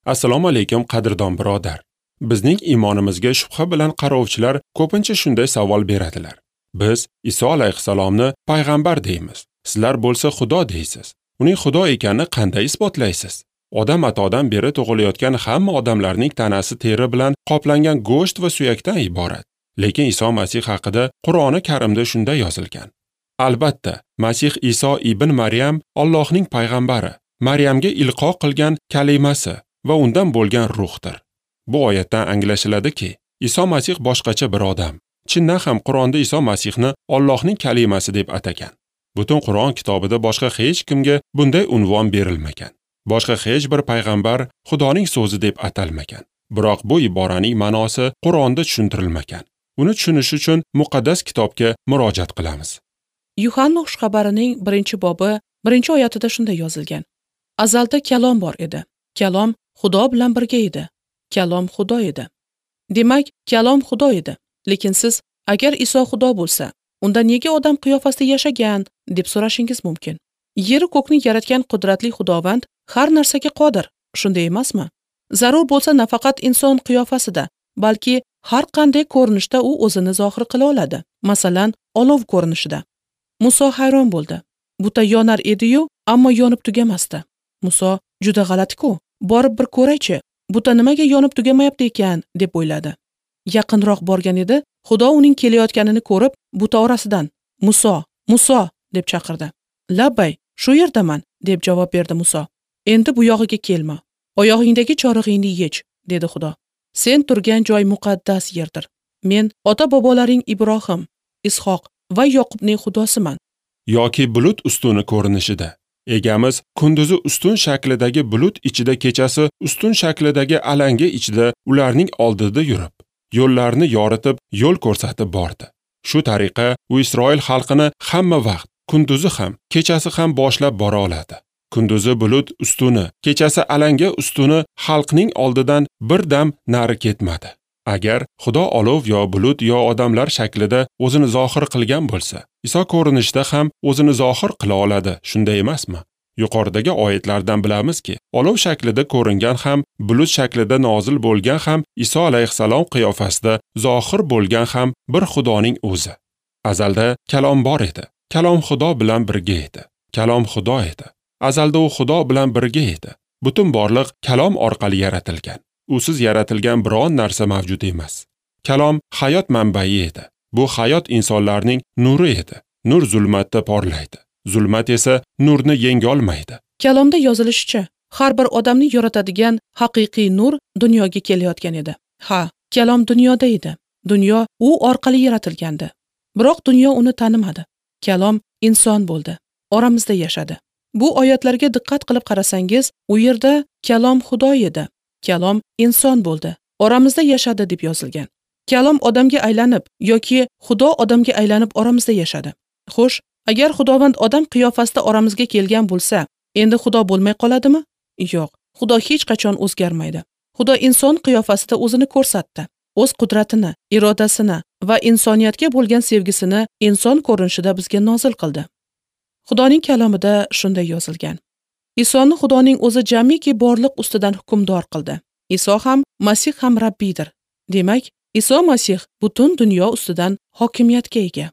Assalomu alaykum qadrdon birodar. Bizning iymonimizga shubha bilan qarovchilar ko'pincha shunday savol beradilar. Biz Iso alayhissalomni payg'ambar deymiz. Sizlar bo'lsa Xudo deysiz. Uning Xudo ekanini qanday isbotlaysiz? Odam atodan beri tug'ilayotgan hamma odamlarning tanasi teri bilan qoplangan go'sht va suyakdan iborat. Lekin Iso Masih haqida Qur'oni Karimda shunday yozilgan. Albatta, Masih Iso ibn Maryam Allohning payg'ambari, Maryamga ilqo qilgan kalimasi va undan bo'lgan ruhdir. Bu oyatdan anglashiladiki, Iso Masih boshqacha bir odam. Chindan ham Qur'onda Iso Masihni Allohning kalimasi deb atagan. Butun Qur'on kitobida boshqa hech kimga bunday unvon berilmagan. Boshqa hech bir payg'ambar Xudoning so'zi deb atalmagan. Biroq bu iboraning ma'nosi Qur'onda tushuntirilmagan. Uni tushunish uchun muqaddas kitobga murojaat qilamiz. Yuhanna xushxabarining 1-bobi 1-oyatida shunday yozilgan. Azalda kalom bor edi. Kalom Xudo bilan birga edi. Kalom Xudo edi. Demak, kalom Xudo edi. Lekin siz, agar Iso Xudo bo'lsa, unda nega odam qiyofasida yashagan deb so'rashingiz mumkin. Yer ko'kni yaratgan qudratli Xudovand har narsaga qodir, shunday emasmi? Zarur bo'lsa nafaqat inson qiyofasida, balki har qanday ko'rinishda u o'zini zohir qila oladi. Masalan, olov ko'rinishida. Muso hayron bo'ldi. Buta yonar edi-yu, ammo yonib tugamasdi. Muso, juda g'alati-ku, borib bir ko'raychi, buta nimaga yonib tugamayapti ekan, deb o'yladi. Yaqinroq borgan edi, Xudo uning kelayotganini ko'rib, buta orasidan "Muso, Muso" deb chaqirdi. "Labbay, shu yerdaman", deb javob berdi Muso. "Endi bu yog'iga kelma. Oyog'ingdagi chorig'ingni yech", dedi Xudo. "Sen turgan joy muqaddas yerdir. Men ota-bobolaring Ibrohim, Ishoq va Yoqubning Xudosiman." Yoki bulut ustuni ko'rinishida. Egamiz kunduzi ustun shaklidagi bulut ichida, kechasi ustun shaklidagi alanga ichida ularning oldida yurib, yo'llarni yoritib, yo'l ko'rsatib bordi. Shu tariqa u Isroil xalqini hamma vaqt, kunduzi ham, kechasi ham boshlab bora oladi. Kunduzi bulut ustuni, kechasi alanga ustuni xalqning oldidan bir dam nari ketmadi. Agar Xudo olov yo bulut yo odamlar shaklida o'zini zohir qilgan bo'lsa, Iso ko'rinishda ham o'zini zohir qila oladi, shunday emasmi? Yuqoridagi oyatlardan bilamizki, olov shaklida ko'ringan ham, bulut shaklida nozil bo'lgan ham, Iso alayhissalom qiyofasida zohir bo'lgan ham bir Xudoning o'zi. Azalda kalom bor edi. Kalom Xudo bilan birga edi. Kalom Xudo edi. Azalda u Xudo bilan birga edi. Butun borliq kalom orqali yaratilgan. Usiz yaratilgan biron narsa mavjud emas. Kalom hayot manbai edi. Bu hayot insonlarning nuri edi. Nur zulmatda porlaydi. Zulmat esa nurni yenga olmaydi. Kalomda yozilishicha, har bir odamni yoritadigan haqiqiy nur dunyoga kelayotgan edi. Ha, kalom dunyoda edi. Dunyo u orqali yaratilgandi. Biroq dunyo uni tanimadi. Kalom inson bo'ldi. Oramizda yashadi. Bu oyatlarga diqqat qilib qarasangiz, u yerda kalom Xudo edi. Kalom inson bo'ldi. Oramizda yashadi deb yozilgan. Kalom odamga aylanib yoki Xudo odamga aylanib oramizda yashadi. Xo'sh, agar Xudovand odam qiyofasida oramizga kelgan bo'lsa, endi Xudo bo'lmay qoladimi? Yo'q, Xudo hech qachon o'zgarmaydi. Xudo inson qiyofasida o'zini ko'rsatdi. O'z qudratini, irodasini va insoniyatga bo'lgan sevgisini inson ko'rinishida bizga nozil qildi. Xudoning kalomida shunday yozilgan. Isoni Xudoning o'zi jamiki borliq ustidan hukmdor qildi. Iso ham, Masih ham Rabbiydir. Demak, Iso Masih butun dunyo ustidan hokimiyatga ega.